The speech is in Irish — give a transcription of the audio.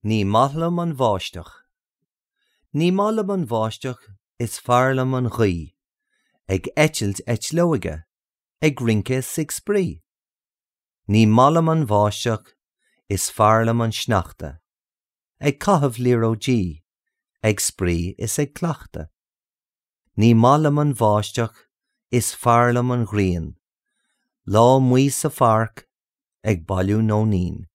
Ní maith liom an bháisteach. Ní maith liom an bháisteach, is fearr liom an ghaoth, Ag eitilt eitleoige, ag rince 's ag spraoi. Ní maith liom an bháisteach, is fearr liom an sneachta, Ag caitheamh liathróidí, ag spraoi is ag cleachtadh. Ní maith liom an bháisteach, is fearr liom an ghrian, Lá amuigh sa pháirc, ag bailiú nóinín.